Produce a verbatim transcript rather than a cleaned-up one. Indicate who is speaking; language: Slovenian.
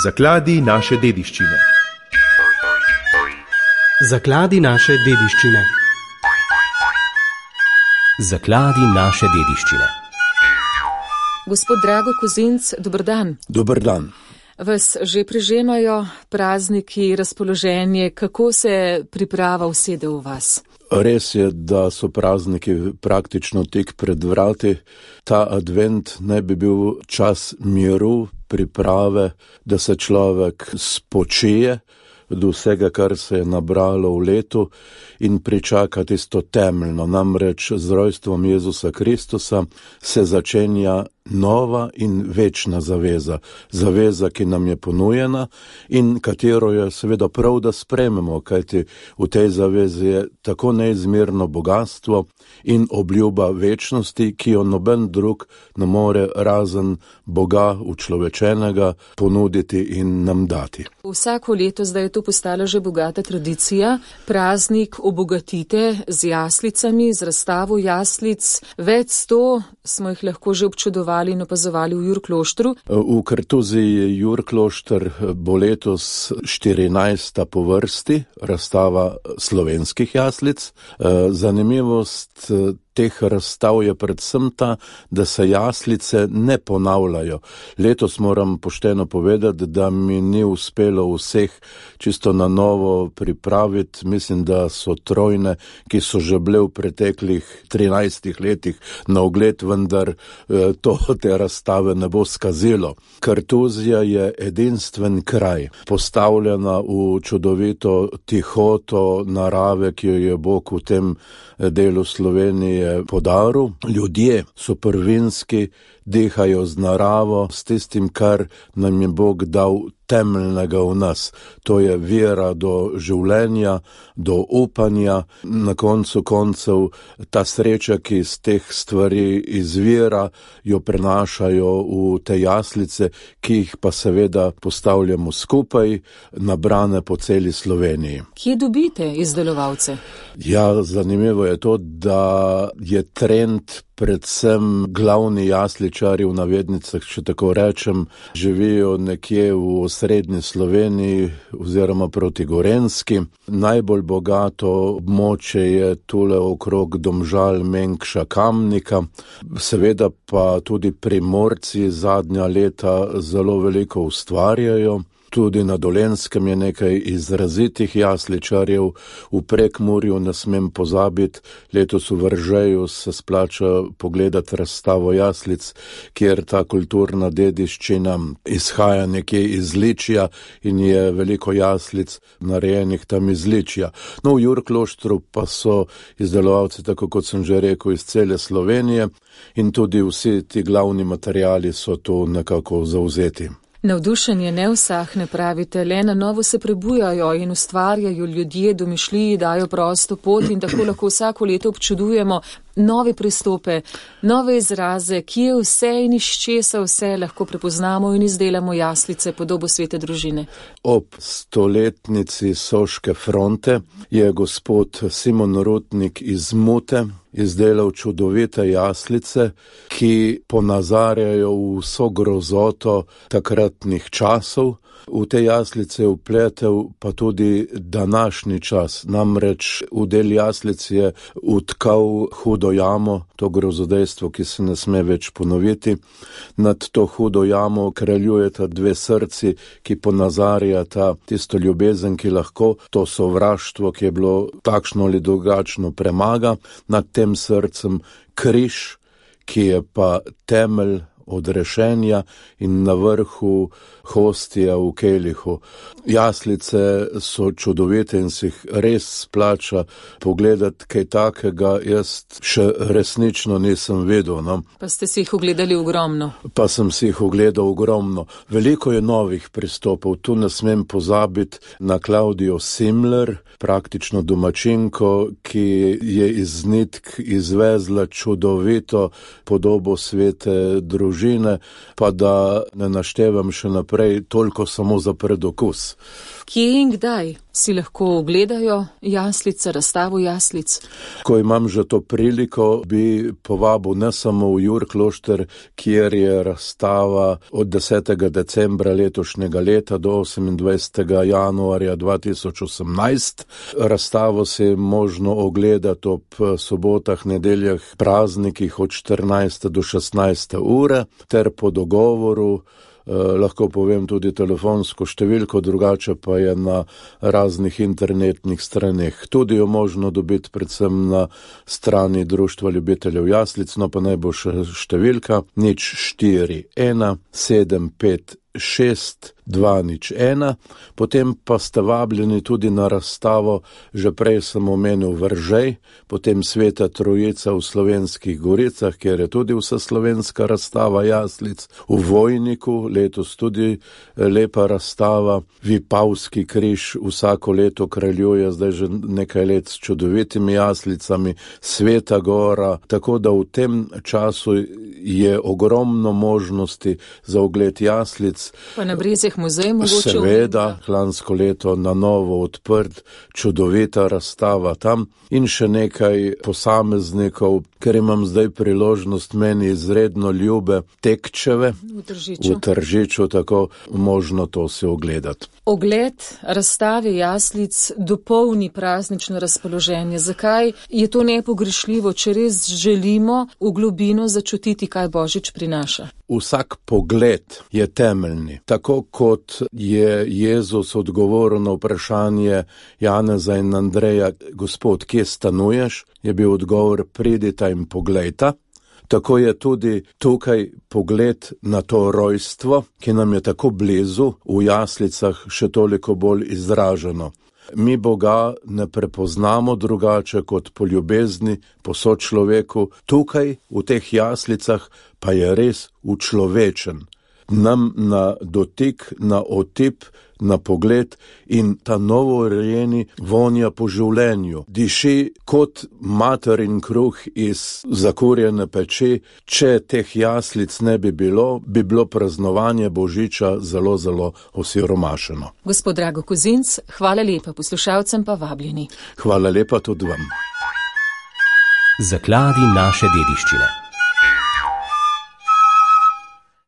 Speaker 1: Zakladi naše dediščine.
Speaker 2: Zakladi naše dediščine.
Speaker 3: Zakladi naše dediščine.
Speaker 4: Gospod Drago Kozinc, dober dan.
Speaker 5: Dober dan.
Speaker 4: Vas že prežemajo prazniki, razpoloženje, kako se priprava usede v vas?
Speaker 5: Res je, da so prazniki praktično tik pred vrati. Ta advent naj bi bil čas miru, priprave, da se človek spočije od vsega, kar se je nabralo v letu in pričaka tisto temeljno. Namreč z rojstvom Jezusa Kristusa se začenja nova in večna zaveza. Zaveza, ki nam je ponujena in katero je seveda prav, da sprejmemo, kajti v tej zavezi je tako neizmerno bogatstvo in obljuba večnosti, ki jo noben drug ne more razen Boga učlovečenega ponuditi in nam dati.
Speaker 4: Vsako leto zdaj je to postala že bogata tradicija. Praznik obogatite z jaslicami, z razstavo jaslic. Več sto smo jih lahko že občudovali in opazovali v Jurkloštru.
Speaker 5: V Kartuziji Jurklošter bo letos štirinajsta po vrsti razstava slovenskih jaslic. Zanimivost teh razstav je predvsem ta, da se jaslice ne ponavljajo. Letos moram pošteno povedati, da mi ni uspelo vseh čisto na novo pripraviti. Mislim, da so trojne, ki so že bile v preteklih trinajstih letih na ogled, vendar to te razstave ne bo skazilo. Kartuzija je edinstven kraj, postavljena v čudovito tihoto narave, ki jo je Bog v tem delu Slovenije podaril. Ljudje so prvinski, dihajo z naravo, s tistim, kar nam je Bog dal temeljnega v nas. To je vera do življenja, do upanja, na koncu koncev ta sreča, ki iz teh stvari izvira, jo prenašajo v te jaslice, ki jih pa seveda postavljamo skupaj, nabrane po celi Sloveniji.
Speaker 4: Kje dobite izdelovalce?
Speaker 5: Ja, zanimivo je to, da je trend predvsem glavni jasličari v navednicah, če tako rečem, živijo nekje v srednji Sloveniji oziroma proti Gorenjski. Najbolj bogato območje je tule okrog Domžal, Mengša, Kamnika. Seveda pa tudi Primorci zadnja leta zelo veliko ustvarjajo. Tudi na Dolenjskem je nekaj izrazitih jasličarjev, v Prekmurju ne smem pozabiti, letos v Vržeju se splača pogledati razstavo jaslic, kjer ta kulturna dediščina izhaja nekje iz Ličja in je veliko jaslic narejenih tam iz Ličja. No, v Jurkloštru pa so izdelovalci, tako kot sem že rekel, iz cele Slovenije in tudi vsi ti glavni materiali so tu nekako zavzeti.
Speaker 4: Navdušenje ne usahne, pravite, le na novo se prebujajo in ustvarjajo ljudje, domišljiji, dajo prosto pot in tako lahko vsako leto občudujemo nove pristope, nove izraze, kje vse in iz česa vse lahko prepoznamo in izdelamo jaslice podobo svete družine.
Speaker 5: Ob stoletnici Soške fronte je gospod Simon Rutnik iz Mute izdelal čudovite jaslice, ki ponazarjajo vso grozoto takratnih časov. V te jaslice je vpletel pa tudi današnji čas. Namreč v del jaslic je utkal hudo jamo, to grozodejstvo, ki se ne sme več ponoviti. Nad to hudo jamo kraljujeta dve srci, ki ponazarjata tisto ljubezen, ki lahko to sovraštvo, ki je bilo takšno ali drugačno, premaga. Nad tem srcem križ, ki je pa temelj odrešenja in na vrhu hostija v kelihu. Jaslice so čudovite in si jih res splača pogledati, kaj takega jaz še resnično nisem vedel. No?
Speaker 4: Pa ste si jih ogledali ogromno.
Speaker 5: Pa sem si jih ogledal ogromno. Veliko je novih pristopov. Tu ne smem pozabiti na Klaudijo Simler, praktično domačinko, ki je iz nitk izvezla čudovito podobo svete družine, pa da ne naštevam še naprej, toliko samo za predokus.
Speaker 4: Kje in kdaj? si lahko ogledajo jaslice, razstavo jaslic?
Speaker 5: Ko imam že to priliko, bi povabil ne samo v Jurklošter, kjer je razstava od desetega decembra letošnjega leta do osemindvajsetega januarja dva tisoč osemnajst. Razstavo se je možno ogledati ob sobotah, nedeljah, praznikih od štirinajste do šestnajste ure, ter po dogovoru, eh, lahko povem tudi telefonsko številko, drugače pa je na raznih internetnih straneh. Tudi jo možno dobiti predvsem na strani Društva ljubiteljev jaslic, no pa naj bo še številka nič štiri ena sedem pet šest dva nič ena, potem pa ste vabljeni tudi na razstavo, že prej sem omenil Veržej, potem Sveta Trojica v Slovenskih Goricah, kjer je tudi vseslovenska razstava jaslic, v Vojniku letos tudi lepa razstava, Vipavski križ vsako leto kraljuje zdaj že nekaj let s čudovitimi jaslicami, Sveta Gora, tako da v tem času je ogromno možnosti za ogled jaslic.
Speaker 4: Pa na Brezjah muzej mogoče?
Speaker 5: Seveda, lansko leto na novo odprt, čudovita razstava tam in še nekaj posameznikov, ker imam zdaj priložnost meni izredno ljube Tekčeve
Speaker 4: v Tržiču.
Speaker 5: v Tržiču, tako možno to si ogledati.
Speaker 4: Ogled razstave jaslic dopolni praznično razpoloženje. Zakaj je to nepogrešljivo, če res želimo v globino začutiti, kaj Božič prinaša?
Speaker 5: Vsak pogled je temeljni. Tako kot je Jezus odgovoril na vprašanje Janeza in Andreja, Gospod, kje stanuješ, je bil odgovor, pridita in poglejta. Tako je tudi tukaj pogled na to rojstvo, ki nam je tako blizu, v jaslicah še toliko bolj izraženo. Mi Boga ne prepoznamo drugače kot po ljubezni, po sočloveku, tukaj v teh jaslicah pa je res učlovečen. Nam na dotik, na otip, na pogled in ta novorojeni vonja po življenju. Diši kot materin kruh iz zakurjene peči. Če teh jaslic ne bi bilo, bi bilo praznovanje Božiča zelo, zelo osiromašeno.
Speaker 4: Gospod Drago Kozinc, hvala lepa, poslušalcem pa vabljeni.
Speaker 5: Hvala lepa tudi vam.
Speaker 3: Zakladi naše dediščine.